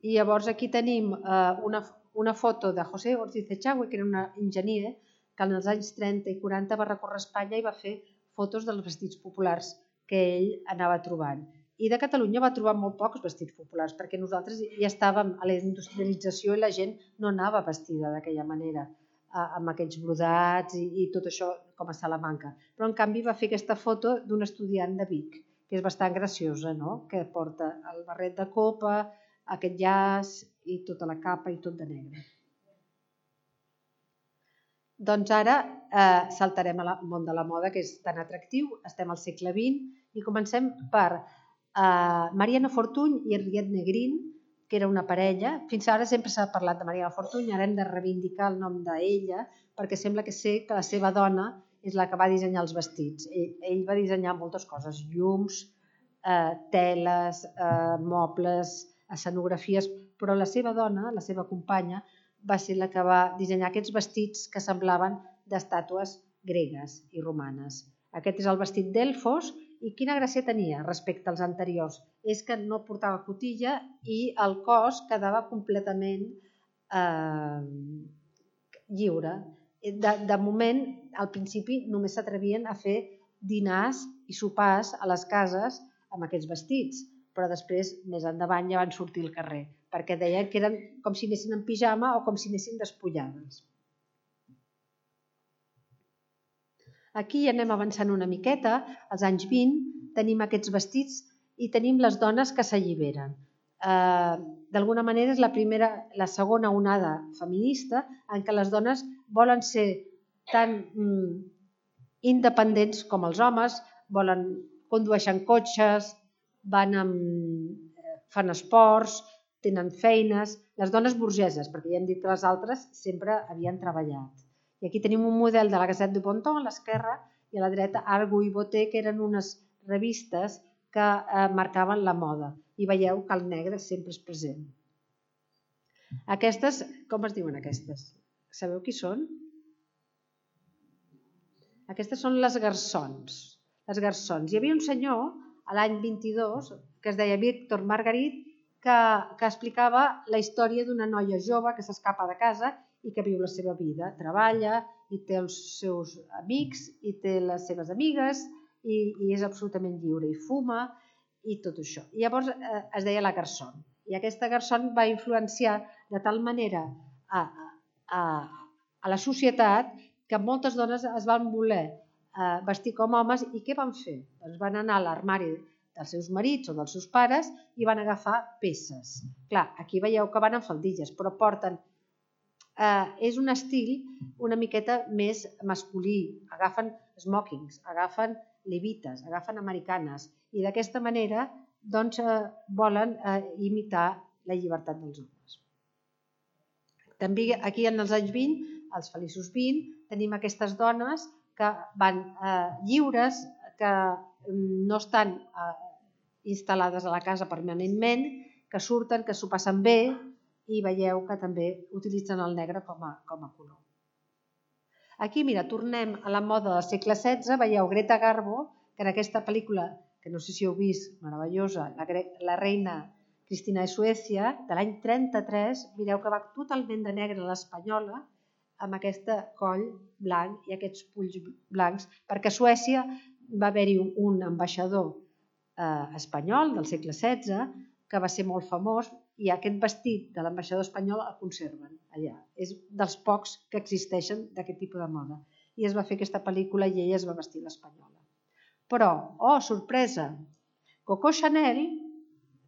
I llavors aquí tenim eh, una, una foto de José Ortiz Echagüe, que era un enginyer que en els anys trenta i quaranta va recórrer Espanya i va fer fotos dels vestits populars que ell anava trobant. I de Catalunya va trobar molt pocs vestits populars, perquè nosaltres ja estàvem a la industrialització i la gent no anava vestida d'aquella manera, amb aquests brodats i, i tot això com a Salamanca. Però en canvi va fer aquesta foto d'un estudiant de Vic, que és bastant graciosa, no? Que porta el barret de copa, aquest llaç i tota la capa i tot de negre. Doncs ara eh, saltarem al món de la moda, que és tan atractiu. Estem al segle vint i comencem per eh, Mariano Fortuny i Henriette Negrin, que era una parella. Fins ara sempre s'ha parlat de Mariano Fortuny, ara hem de reivindicar el nom d'ella, perquè sembla que sé que la seva dona és la que va dissenyar els vestits. Ell, ell va dissenyar moltes coses, llums, eh, teles, eh, mobles, escenografies, però la seva dona, la seva companya, va ser la que va dissenyar aquests vestits que semblaven d'estàtues gregues i romanes. Aquest és el vestit d'Elfos i quina gràcia tenia respecte als anteriors? És que no portava cotilla i el cos quedava completament eh, lliure. De, de moment, al principi, només s'atrevien a fer dinars i sopars a les cases amb aquests vestits, però després, més endavant, ja van sortir al carrer, perquè deien que eren com si anessin en pijama o com si anessin despullades. Aquí anem avançant una miqueta, als anys vint tenim aquests vestits i tenim les dones que s'alliberen. Eh, D'alguna manera és la primera, la segona onada feminista en què les dones volen ser tan mm, independents com els homes, volen condueixen cotxes, van amb, fan esports, tenen feines, les dones burgeses, perquè ja hem dit que les altres sempre havien treballat. I aquí tenim un model de la Gazette du Bon Temps a l'esquerra i a la dreta Argo i Boté, que eren unes revistes que eh, marcaven la moda. I veieu que el negre sempre és present. Aquestes, com es diuen aquestes? Sabeu qui són? Aquestes són les garçons. Les garçons. Hi havia un senyor a l'any vint-i-dos, que es deia Víctor Margarit, que, que explicava la història d'una noia jove que s'escapa de casa i que viu la seva vida. Treballa i té els seus amics i té les seves amigues i, i és absolutament lliure i fuma i tot això. I llavors eh, es deia la garçon. I aquesta garçon va influenciar de tal manera a, a, a la societat que moltes dones es van voler vestir com homes i què van fer? Doncs van anar a l'armari dels seus marits o dels seus pares i van agafar peces. Clar, aquí veieu que van en faldilles, però porten... Eh, és un estil una miqueta més masculí. Agafen smokings, agafen levites, agafen americanes i d'aquesta manera doncs, eh, volen eh, imitar la llibertat dels homes. També aquí en els anys vint, els feliços vint, tenim aquestes dones que van eh, lliures, que no estan eh, instal·lades a la casa permanentment, que surten, que s'ho passen bé i veieu que també utilitzen el negre com a, com a color. Aquí, mira, tornem a la moda del segle setze, veieu Greta Garbo, que en aquesta pel·lícula que no sé si heu vist, meravellosa, la, la reina Cristina de Suècia, de l'any trenta-tres, mireu que va totalment de negre l'espanyola, amb aquest coll blanc i aquests polls blancs, perquè a Suècia va haver-hi un ambaixador eh, espanyol del segle setze que va ser molt famós i aquest vestit de l'ambaixador espanyol el conserven allà. És dels pocs que existeixen d'aquest tipus de moda. I es va fer aquesta pel·lícula i ella es va vestir l'espanyola. Però, oh, sorpresa, Coco Chanel,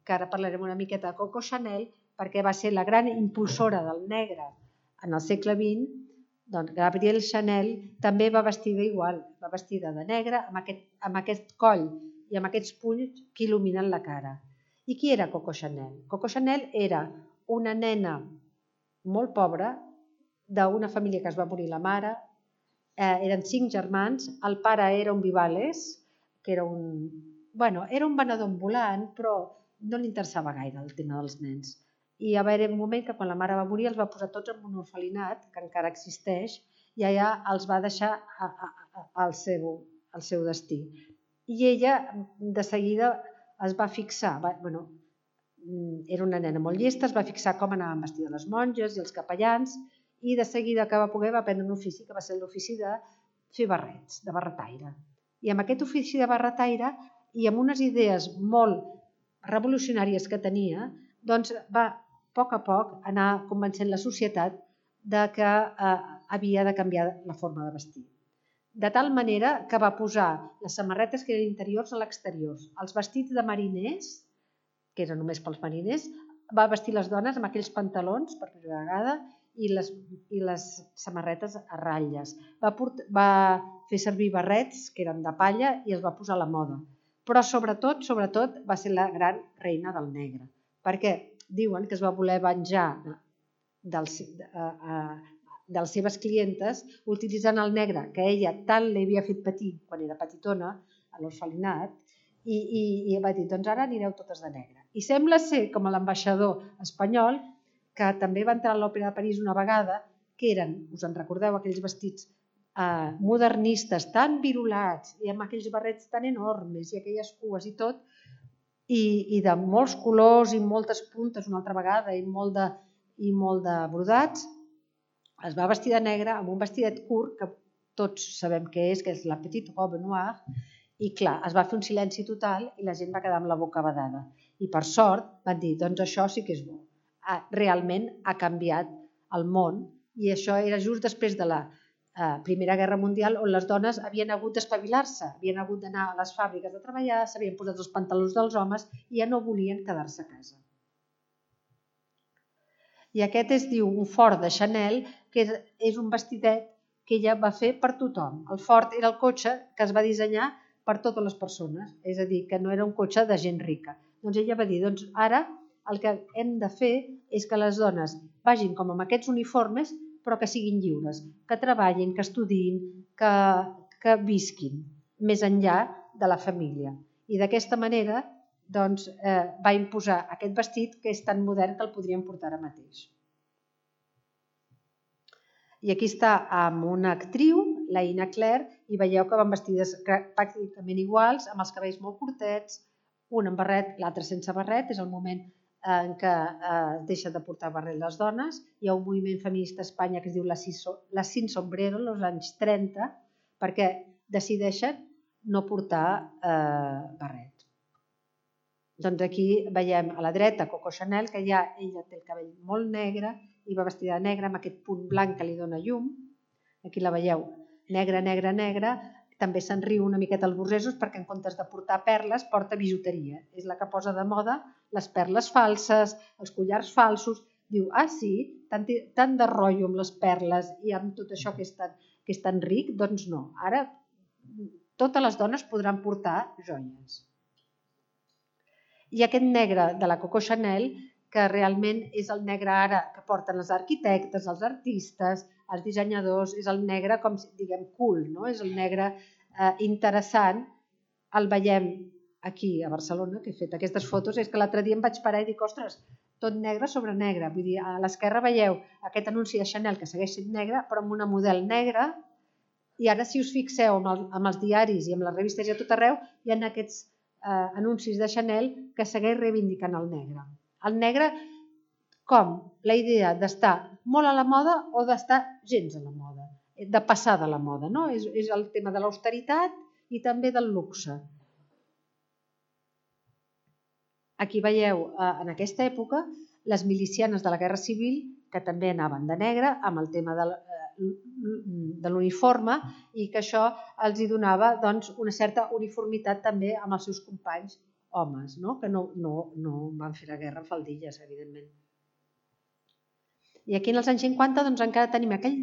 que ara parlarem una miqueta de Coco Chanel, perquè va ser la gran impulsora del negre en el segle vint, doncs Gabrielle Chanel també va vestida igual, va vestida de negre amb aquest, amb aquest coll i amb aquests punys que il·luminen la cara. I qui era Coco Chanel? Coco Chanel era una nena molt pobra d'una família que es va morir la mare, eh, eren cinc germans, el pare era un Vivales, que era un, bueno, era un venedor ambulant, però no li interessava gaire el tema dels nens. I va haver un moment que quan la mare va morir els va posar tots en un orfelinat, que encara existeix, i allà els va deixar a, a, a, al, seu, al seu destí. I ella de seguida es va fixar, va, bueno, era una nena molt llesta, es va fixar com anaven vestides les monges i els capellans i de seguida que va poder va aprendre un ofici que va ser l'ofici de fer barrets, de barretaire. I amb aquest ofici de barretaire i amb unes idees molt revolucionàries que tenia, doncs va a poc a poc anar convencent la societat de que eh, havia de canviar la forma de vestir. De tal manera que va posar les samarretes que eren interiors a l'exterior, els vestits de mariners, que eren només pels mariners, va vestir les dones amb aquells pantalons per primera vegada i les, i les samarretes a ratlles. Va, portar, va fer servir barrets que eren de palla i els va posar a la moda. Però sobretot, sobretot va ser la gran reina del negre, perquè diuen que es va voler venjar dels, uh, uh, de les seves clientes utilitzant el negre que ella tant li havia fet patir quan era petitona a l'orfelinat i, i, i va dir, doncs ara anireu totes de negre. I sembla ser, com l'ambaixador espanyol, que també va entrar a l'Òpera de París una vegada, que eren, us en recordeu, aquells vestits eh, modernistes tan virulats i amb aquells barrets tan enormes i aquelles cues i tot, i, i de molts colors i moltes puntes una altra vegada i molt de, i molt de brodats, es va vestir de negre amb un vestidet curt que tots sabem què és, que és la petite robe noire, i clar, es va fer un silenci total i la gent va quedar amb la boca badada. I per sort van dir, doncs això sí que és bo. Realment ha canviat el món i això era just després de la eh, Primera Guerra Mundial on les dones havien hagut d'espavilar-se, havien hagut d'anar a les fàbriques de treballar, s'havien posat els pantalons dels homes i ja no volien quedar-se a casa. I aquest es diu un fort de Chanel, que és un vestidet que ella va fer per tothom. El fort era el cotxe que es va dissenyar per totes les persones, és a dir, que no era un cotxe de gent rica. Doncs ella va dir, doncs ara el que hem de fer és que les dones vagin com amb aquests uniformes, però que siguin lliures, que treballin, que estudiïn, que, que visquin més enllà de la família. I d'aquesta manera doncs, eh, va imposar aquest vestit que és tan modern que el podríem portar ara mateix. I aquí està amb una actriu, la Ina Claire, i veieu que van vestides pràcticament iguals, amb els cabells molt curtets, un amb barret, l'altre sense barret, és el moment en què eh, deixa de portar barret les dones. Hi ha un moviment feminista a Espanya que es diu la Sin Sombrero, als anys trenta, perquè decideixen no portar eh, barret. Doncs aquí veiem a la dreta Coco Chanel, que ja ella té el cabell molt negre i va vestida de negre amb aquest punt blanc que li dona llum. Aquí la veieu, negra, negra, negra. També se'n riu una miqueta els burgesos perquè en comptes de portar perles porta bijuteria. És la que posa de moda les perles falses, els collars falsos. Diu, ah sí, tant, tant de rotllo amb les perles i amb tot això que és tan, que és tan ric, doncs no. Ara totes les dones podran portar joies. I aquest negre de la Coco Chanel, que realment és el negre ara que porten els arquitectes, els artistes, els dissenyadors, és el negre com diguem cool, no? És el negre eh, interessant. El veiem aquí a Barcelona, que he fet aquestes fotos, és que l'altre dia em vaig parar i dic, ostres, tot negre sobre negre. Vull dir, a l'esquerra veieu aquest anunci de Chanel que segueix sent negre, però amb una model negra. I ara si us fixeu amb, el, amb els diaris i amb les revistes i a tot arreu, hi ha aquests anuncis de Chanel que segueix reivindicant el negre. El negre com la idea d'estar molt a la moda o d'estar gens a la moda, de passar de la moda, no? És, és el tema de l'austeritat i també del luxe. Aquí veieu, en aquesta època, les milicianes de la Guerra Civil, que també anaven de negre, amb el tema de, de l'uniforme, i que això els hi donava doncs, una certa uniformitat també amb els seus companys homes, no? Que no, no, no van fer la guerra amb faldilles, evidentment. I aquí en els anys cinquanta doncs, encara tenim aquell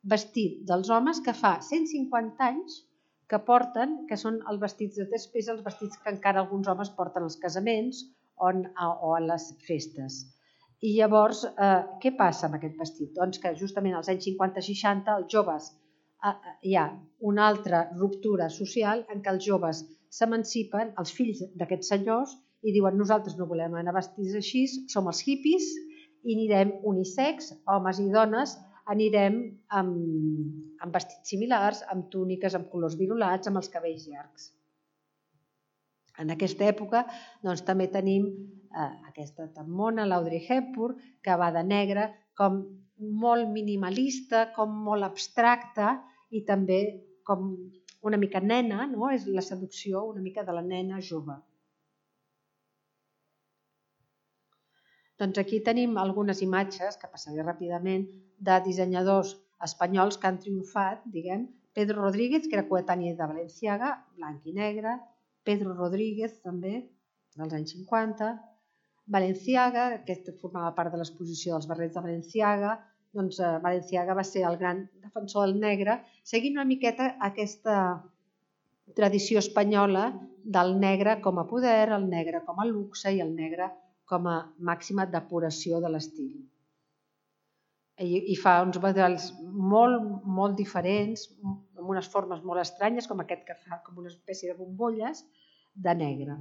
vestit dels homes que fa cent cinquanta anys que porten, que són els vestits de després, els vestits que encara alguns homes porten als casaments o, o a les festes. I llavors, eh, què passa amb aquest vestit? Doncs que justament als anys cinquanta seixanta els joves, eh, hi ha una altra ruptura social en què els joves s'emancipen, els fills d'aquests senyors, i diuen nosaltres no volem anar vestits així, som els hippies i anirem unisex, homes i dones, anirem amb, amb vestits similars, amb túniques, amb colors virolats, amb els cabells llargs. En aquesta època doncs, també tenim eh, aquesta tamona, l'Audrey Hepburn, que va de negre, com molt minimalista, com molt abstracta i també com una mica nena, no? És la seducció una mica de la nena jove. Doncs aquí tenim algunes imatges, que passaré ràpidament, de dissenyadors espanyols que han triomfat, diguem, Pedro Rodríguez, que era coetani de Balenciaga, blanc i negre, Pedro Rodríguez també, dels anys cinquanta, Balenciaga, aquest formava part de l'exposició dels barrets de Balenciaga, doncs Balenciaga va ser el gran defensor del negre, seguint una miqueta aquesta tradició espanyola del negre com a poder, el negre com a luxe i el negre com a màxima depuració de l'estil. I fa uns models molt, molt diferents, amb unes formes molt estranyes, com aquest que fa com una espècie de bombolles de negre,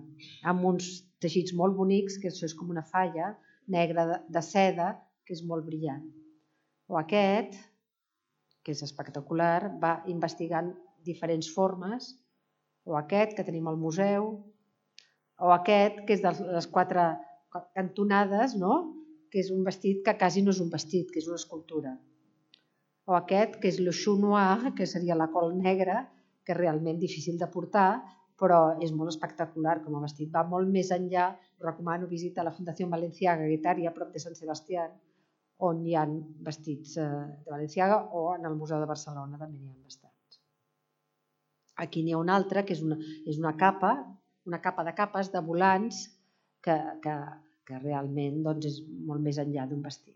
amb uns teixits molt bonics, que això és com una falla negra de seda, que és molt brillant. O aquest, que és espectacular, va investigant diferents formes, o aquest que tenim al museu, o aquest que és de les quatre cantonades, no? Que és un vestit que quasi no és un vestit, que és una escultura. O aquest, que és le chou noir, que seria la col negra, que és realment difícil de portar, però és molt espectacular com a vestit. Va molt més enllà, recomano visitar la Fundació Balenciaga Guetària, a prop de Sant Sebastià, on hi ha vestits de Balenciaga, o en el Museu de Barcelona també n'hi ha bastants. Aquí n'hi ha una altra, que és una, és una capa, una capa de capes de volants, que, que, que realment doncs, és molt més enllà d'un vestit.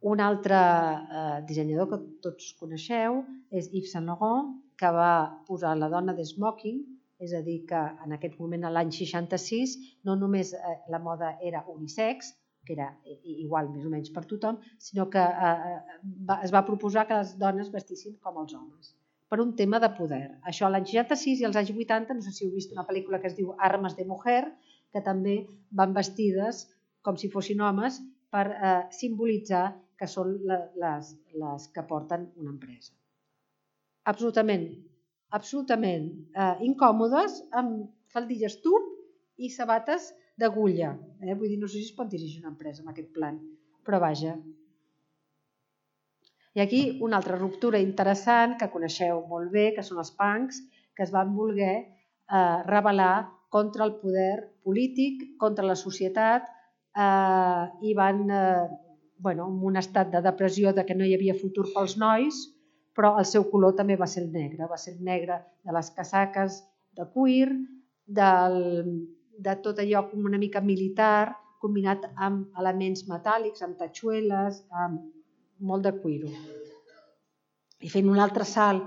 Un altre eh, dissenyador que tots coneixeu és Yves Saint Laurent, que va posar la dona de smoking, és a dir, que en aquest moment, l'any seixanta-sis, no només eh, la moda era unisex, que era igual més o menys per tothom, sinó que eh, va, es va proposar que les dones vestissin com els homes, per un tema de poder. Això l'any seixanta-sis i als anys vuitanta, no sé si heu vist una pel·lícula que es diu Armes de Mujer, que també van vestides com si fossin homes per eh, simbolitzar que són les, les que porten una empresa. Absolutament, absolutament eh, incòmodes, amb faldilles tub i sabates d'agulla. Eh? Vull dir, no sé si es pot dirigir una empresa amb aquest plan, però vaja. I aquí una altra ruptura interessant que coneixeu molt bé, que són els punks, que es van voler eh, rebel·lar contra el poder polític, contra la societat, eh, i van, eh, bueno, en un estat de depressió de que no hi havia futur pels nois, però el seu color també va ser el negre, va ser el negre de les casaques de cuir, del, de tot allò com una mica militar, combinat amb elements metàl·lics, amb tatxueles, amb molt de cuiro. I fent un altre salt,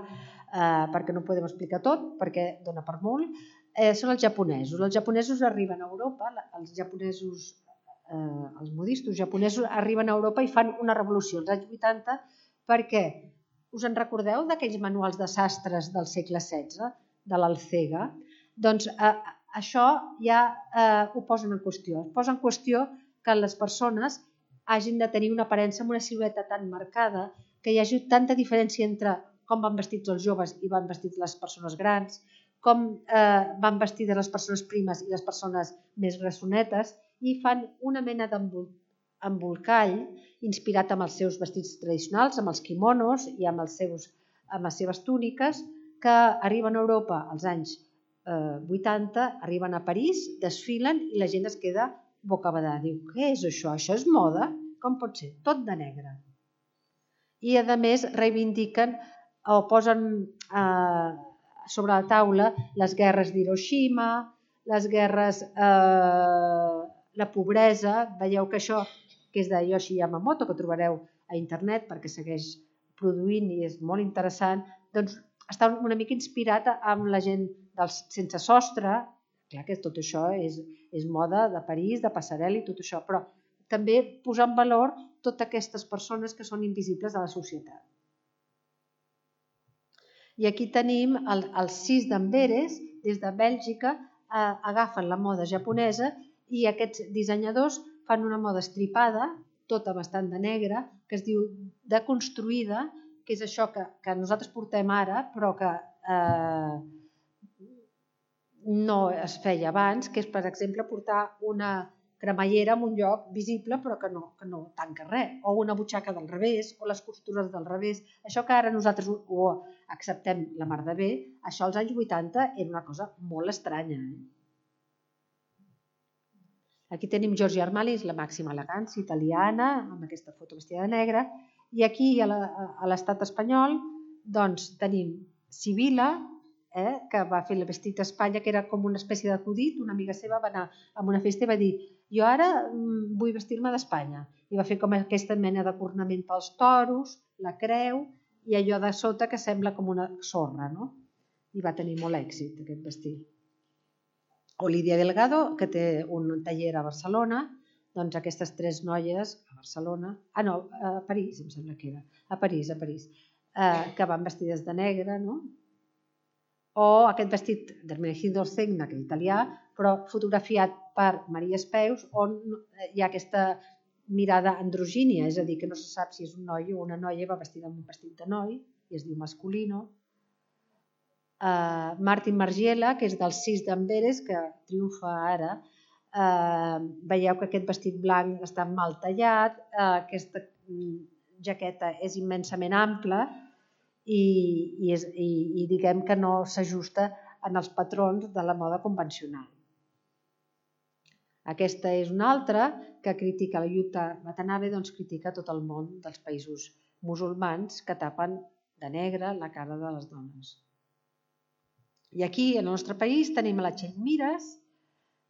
eh, perquè no ho podem explicar tot, perquè dona per molt, eh, són els japonesos. Els japonesos arriben a Europa, els japonesos, eh, els modistos japonesos arriben a Europa i fan una revolució als anys vuitanta, perquè us en recordeu d'aquells manuals de sastres del segle setze, de l'Alcega? Doncs eh, això ja eh, ho posen en qüestió. Es posa en qüestió que les persones hagin de tenir una aparença amb una silueta tan marcada, que hi hagi tanta diferència entre com van vestits els joves i van vestits les persones grans, com van vestides les persones primes i les persones més grassonetes, i fan una mena d'embolcall inspirat amb els seus vestits tradicionals, amb els quimonos i amb les seves túniques, que arriben a Europa als anys vuitanta, arriben a París, desfilen i la gent es queda bocabadada. Diu, què és això? Això és moda? Com pot ser? Tot de negre. I a més reivindiquen o posen sobre la taula les guerres d'Hiroshima, les guerres, la pobresa. Veieu que això, que és de Yoshi Yamamoto, que trobareu a internet perquè segueix produint i és molt interessant, doncs està una mica inspirat amb la gent dels sense sostre. Clar que tot això és moda de París, de passarel·la i tot això, però també posar en valor totes aquestes persones que són invisibles a la societat. I aquí tenim els sis d'Amberes, des de Bèlgica, agafen la moda japonesa i aquests dissenyadors fan una moda estripada, tota bastant de negre, que es diu deconstruïda, que és això que nosaltres portem ara, però que no es feia abans, que és, per exemple, portar una cremallera en un lloc visible però que no tanca res, o una butxaca del revés, o les costures del revés. Això que ara nosaltres ho acceptem la mar de bé, això als anys vuitanta era una cosa molt estranya. Aquí tenim Giorgio Armani, la màxima elegància italiana, amb aquesta foto vestida de negre, i aquí a l'estat espanyol tenim Sibila, que va fer el vestit a Espanya, que era com una espècie d'acudit. Una amiga seva va anar a una festa i va dir, jo ara vull vestir-me d'Espanya, i va fer com aquesta mena de cornament pels toros, la creu i allò de sota que sembla com una sorra, i va tenir molt èxit aquest vestit. O Lídia Delgado, que té un taller a Barcelona, doncs aquestes tres noies a Barcelona, ah no, a París em sembla que era, a París, a París, que van vestides de negre, no? O aquest vestit d'Ermenegildo Zegna, que és italià, però fotografiat per Maria Espeus, on hi ha aquesta mirada androgínia, és a dir, que no se sap si és un noi o una noia, va vestida amb un vestit de noi, i es diu masculino. Martin Margiela, que és dels sis d'Amberes, que triomfa ara, veieu que aquest vestit blanc està mal tallat, aquesta jaqueta és immensament ampla, i diguem que no s'ajusta en els patrons de la moda convencional. Aquesta és una altra que critica, la Jutta Watanabe, doncs critica tot el món dels països musulmans que tapen de negre la cara de les dones. I aquí, al nostre país, tenim la Txell Mires,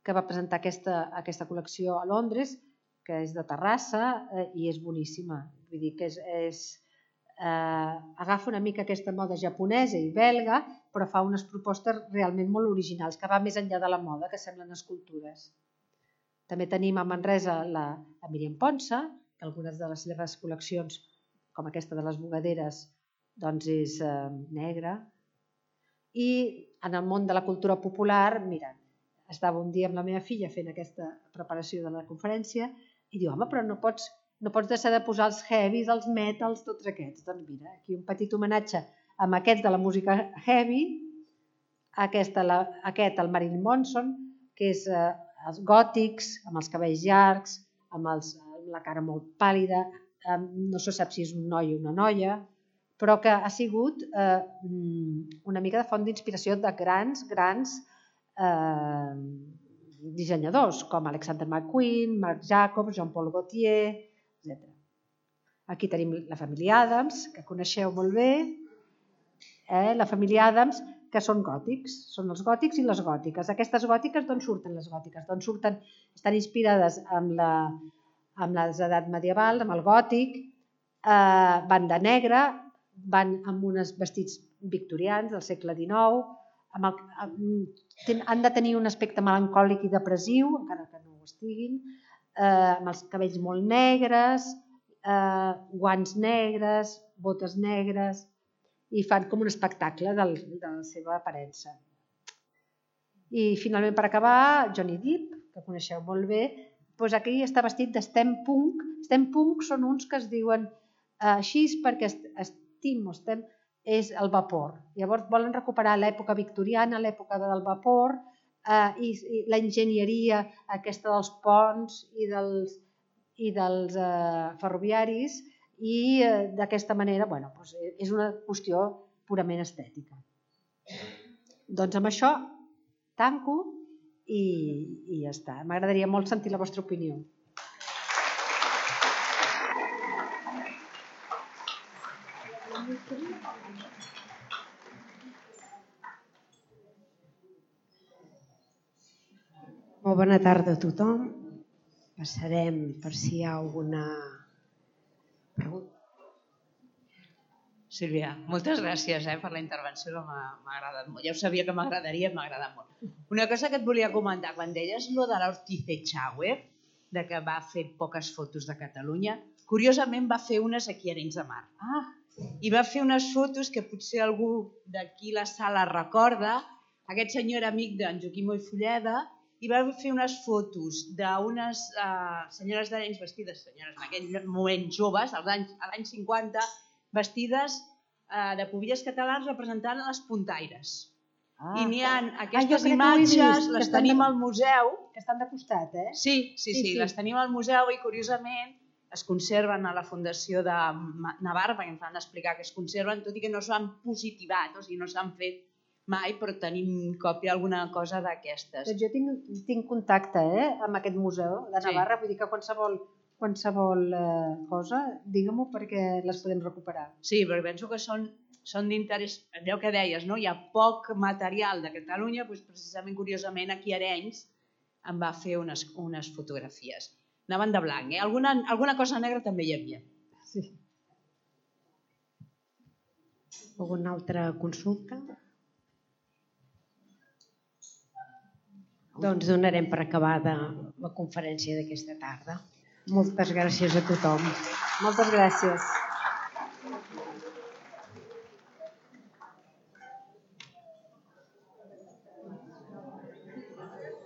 que va presentar aquesta col·lecció a Londres, que és de Terrassa i és boníssima. Vull dir que és... agafa una mica aquesta moda japonesa i belga, però fa unes propostes realment molt originals, que va més enllà de la moda, que semblen escultures. També tenim a Manresa la Míriam Ponsa, que algunes de les seves col·leccions, com aquesta de les bugaderes, doncs és negra. I en el món de la cultura popular, mira, estava un dia amb la meva filla fent aquesta preparació de la conferència i diu, home, però no pots no pots deixar de posar els heavies, els metals, tots aquests. Doncs mira, aquí un petit homenatge amb aquests de la música heavy, aquest, el Marilyn Manson, que és els gòtics, amb els cabells llargs, amb la cara molt pàl·lida, no se sap si és un noi o una noia, però que ha sigut una mica de font d'inspiració de grans, grans dissenyadors, com Alexander McQueen, Marc Jacobs, Jean-Paul Gaultier, etcètera. Aquí tenim la família Adams, que coneixeu molt bé, la família Adams, que són gòtics, són els gòtics i les gòtiques. Aquestes gòtiques, d'on surten les gòtiques? Doncs surten, estan inspirades amb l'edat medieval, amb el gòtic, van de negre, van amb uns vestits victorians del segle dinou, han de tenir un aspecte melancòlic i depressiu, encara que no ho estiguin, amb els cabells molt negres, guants negres, botes negres, i fan com un espectacle de la seva aparença. I finalment, per acabar, Johnny Depp, que coneixeu molt bé, doncs aquí està vestit de steampunk. Steampunk són uns que es diuen així perquè estim o estem és el vapor. Llavors volen recuperar l'època victoriana, l'època del vapor, eh, i, i la enginyeria aquesta dels ponts i dels, i dels eh, ferroviaris, i eh, d'aquesta manera, bueno, doncs és una qüestió purament estètica. Doncs amb això tanco i, i ja està. M'agradaria molt sentir la vostra opinió. Molt bona tarda a tothom. Passarem per si hi ha alguna pregunta. Sílvia, moltes gràcies eh, per la intervenció, que m'ha agradat molt. Ja ho sabia que m'agradaria, m'ha agradat molt. Una cosa que et volia comentar, quan deies lo de l'Ortiz Echagüe, de que va fer poques fotos de Catalunya, curiosament va fer unes aquí a Arenys de Mar. Ah. I va fer unes fotos que potser algú d'aquí la sala recorda. Aquest senyor era amic d'en Joaquim Moll Fulleda i va fer unes fotos d'unes uh, senyores d'Arenys vestides, senyores en aquell moment joves, als anys, a l'any cinquanta, vestides uh, de pubilles catalans representant les puntaires. Ah. I n'hi ha aquestes ah, imatges, les tenim de... al museu. Que estan de costat, eh? Sí, sí, sí, sí, sí, les tenim al museu i curiosament es conserven a la Fundació de Navarra, perquè ens van explicar que es conserven, tot i que no s'han positivat, o sigui, no s'han fet mai, però tenim còpia alguna cosa d'aquestes. Doncs jo tinc, tinc contacte eh, amb aquest museu de Navarra, sí. Vull dir que qualsevol, qualsevol eh, cosa, digue-m'ho perquè les podem recuperar. Sí, però penso que són, són d'interès, allò que deies, no? Hi ha poc material de Catalunya, doncs precisament, curiosament, aquí a Arenys em va fer unes, unes fotografies. Anaven de blanc, eh? Alguna, alguna cosa negra també hi havia. Sí. Alguna altra consulta? Doncs donarem per acabada la conferència d'aquesta tarda. Moltes gràcies a tothom. Moltes gràcies.